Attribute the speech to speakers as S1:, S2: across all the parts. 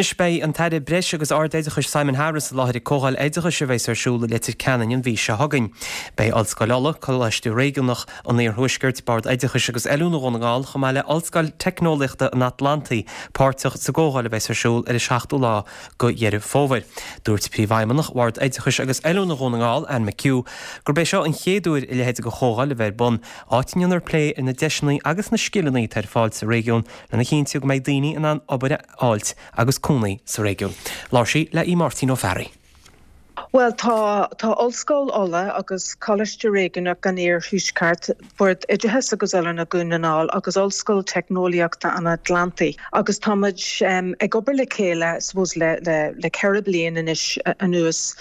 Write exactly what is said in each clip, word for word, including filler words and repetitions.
S1: Anois beidh an tAire Breis agus Ardoideachais Simon Harris i láthair ag comhdháil oideachais a bheas ar siúl i Leitir Ceanainn an mhí seo chugainn. Beidh Ollscoil Uladh, Coláiste Réigiúnach an Iarthuaiscirt, Bord Oideachais agus Oiliúna Dhún na nGall chomh maith le Ollscoil Teicneolaíochta an Atlantaigh páirteach sa gcomhdháil a bheas ar siúl ar an seachtú lá de Dheireadh Fómhair. Dúirt Príomhfheidhmeannach Bhord Oideachais agus Oiliúna Dhún na nGall, Anne McHugh, gurb é seo an chéad uair a leithéid de chomhdháil a bheith ar bun, áit a ndéanfar plé ar na deiseanna agus na scileanna atá ar fáil sa réigiún lena chinntiú go mbeidh daoine in ann obair a fháilt agus cónaí sa réigiún. Labhair sí le í Máirtín Ó Fearraigh.
S2: Well tá tá Ollscoil Uladh agus Coláiste Réigiúnach an Iarthuaiscirt, Bord Oideachais agus Oiliúna Dhún na nGall agus Ollscoil Teicneolaíochta an Atlantaigh agus táimid um, ag obair le chéile suppose le le le ceithre bliana anois anuas.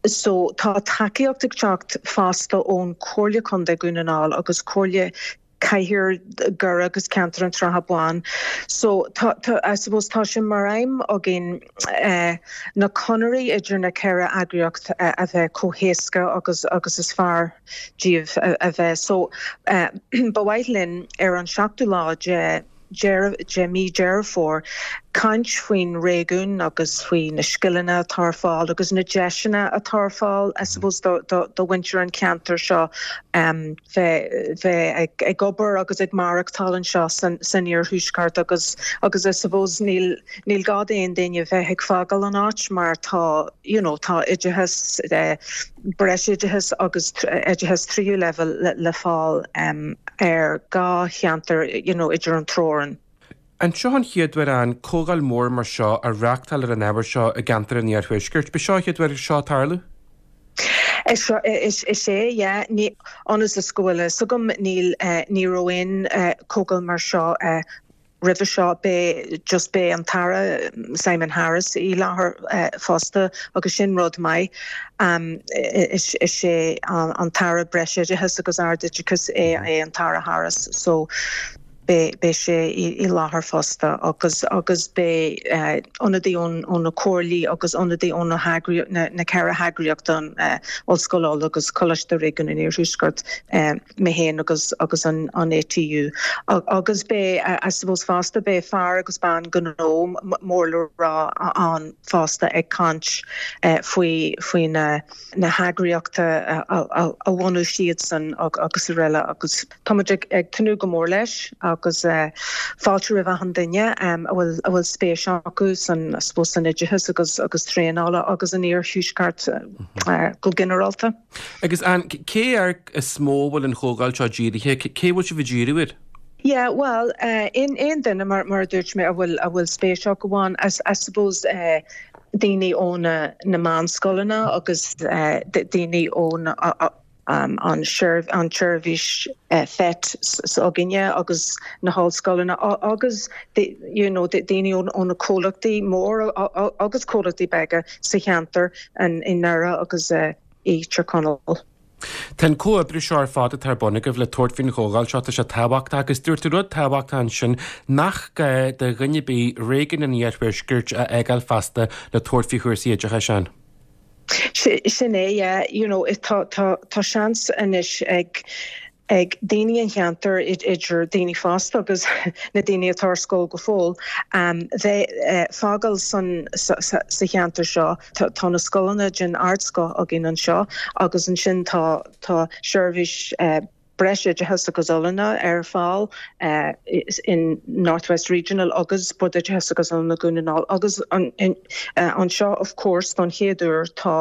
S2: So tá tacaíocht ag teacht fosta ón Comhairle Contae Dhún na nGall agus Comhairle Cathair Dhoire agus Ceantar an tSratha Báin. So tá, tá, I suppose tá sé mar aidhm againn uh, na conairí idir na ceithre eagraíocht uh, a bheith chomh héasca agus agus is fearr díobh a, a bheith. So uh, ba mhaith linn ar an seachtú lá de de mí Deireadh Fómhair caint faoin réigiún agus faoi na scileanna atá ar fáil agus na deiseanna atá ar fáil I suppose do, do, do mhuintir an ceantar seo um, bheith bheith ag, ag obair agus ag maireachtáil anseo san, san iarthuaisceart agus agus I suppose níl níl gá d'aon duine bheith ag fágáil an áit mar tá you know, tá oideachas eh, breisoideachas agus oideachas tríú leibhéal le, le fáil um, ar dhá cheantar you know, idir an teorainn.
S3: An seo an chéad uair an comhdháil mór mar seo a reáchtáil ar an ábhar seo i gceantar an Iarthuaiscirt, B'seo an chéad uair seo tarlú?
S2: Is is is é yeah, ní ionas is go bhfuil so gom níl uh, ní raibh aon uh, comhdháil mar seo uh, roimhe seo beidh just beidh an tAire Simon Harris i láthair uh, fosta agus sin rud maith um, is, is é an, an tAire Breisoideachais agus Ardoideachais é é an tAire Harris so beidh sé i, i láthair fosta agus agus beidh uh, ionadaí ón ón na comhairlí agus ionadaí ón na na, na ceithre heagraíocht an uh, Ollscoil agus Coláiste Réigiúnach an Iarthuaiscirt uh, mé féin agus agus an an ATU agus beidh uh, I suppose fosta beidh fear agus bean gnó mór le rá ann fosta ag caint uh, faoi faoi na na heagraíochta a, a, a bhunú siad san agus araile agus táimid ag, ag tnúth go mór leis agus uh, fáilte roimh achan duine um, a bhfuil a bhfuil spéis acu san suppose san oideachas agus agus traenála agus an iarthuaisceart uh, go ginearálta.
S3: Agus an cé air is mó bhfuil an chomhdháil seo dírithe, cé bhfuil sibh ag díriú air?
S2: Yeah, well, uh, in aon duine mar mar dúirt mé a bhfuil a bhfuil spéis acu ann as I suppose uh, daoine ó na, na meánscoileanna agus uh, daoine ó na, um, an an tseirbhís uh, FET s'againne agus na hollscoileanna agus you know, daoine ó na comhlachtaí mór agus comhlachtaí beaga sa cheantar an i nDoire agus uh, i Tír Chonaill.
S3: Tá an comhoibriú seo ar fad atá ar bun agaibh le tabhairt faoin chomhdháil seo tá sé tábhachtach agus dúirt rud tábhachtach ansin nach gá do dhuine ar bith réigiún an Iarthuaiscirt a fhágáil feasta le tabhairt faoi chúrsaí oideachais ann.
S2: Sin é you know, tá tá tá seans anois ag ag daoine an cheantar idir daoine fásta agus na daoine atá ar scoil go fóill um, bheith uh, fágáil san sa, sa, sa cheantar seo tá, tá na scoileanna den ardscoth againn anseo agus ansin tá tá seirbhís uh, breisoideachas agus oiliúna ar fáil uh, in Northwest Regional agus Bord Oideachais agus Oiliúna Dhún na nGall agus an, in, uh, anseo of course don chéad uair tá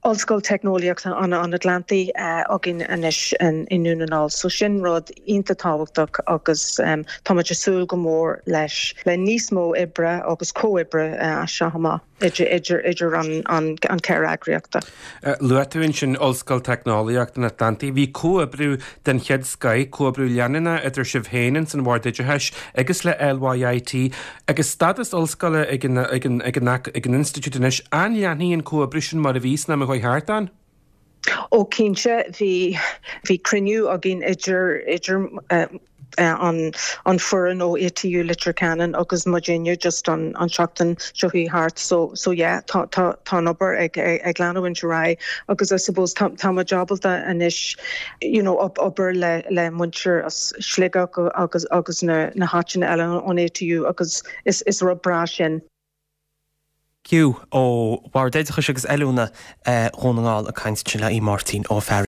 S2: Ollscoil Teicneolaíochta an an Atlantaigh uh, againn anois in, in Dún na nGall, so sin rud iontach tábhachtach agus um, táimid ag súil go mór leis le níos mó oibre agus comhoibre uh, seo amach idir idir idir an an an ceithre eagraíochta.
S3: Uh, Luaigh tú ansin Ollscoil Teicneolaíocht an Atlantaigh, bhí comhoibriú den chéad scoth comhoibriú leanúnach idir sibh féin san Bhord Oideachais agus le LYIT agus stádas ollscoile ag an ag an ag an ag an institiúid anois an leanfaidh an comhoibriú sin mar a bhí sna am thart ann?
S2: Ó cinnte bhí bhí cruinniú againn idir idir uh, uh, an an foireann ó ATU Leitir Ceanainn agus muidinne just an an seachtain seo thart so so yeah tá tá tá an obair ag ag, ag leanúint ar aghaidh agus I suppose tá tá muid ábalta anois you know op obair le le muintir as Sligeach agus agus na na háiteanna eile ón ATU agus is is rud breá sin.
S1: McHugh ó Bhord Oideachais agus Oiliúna Dhún na nGall ag caint le Máirtín Ó Fearraigh.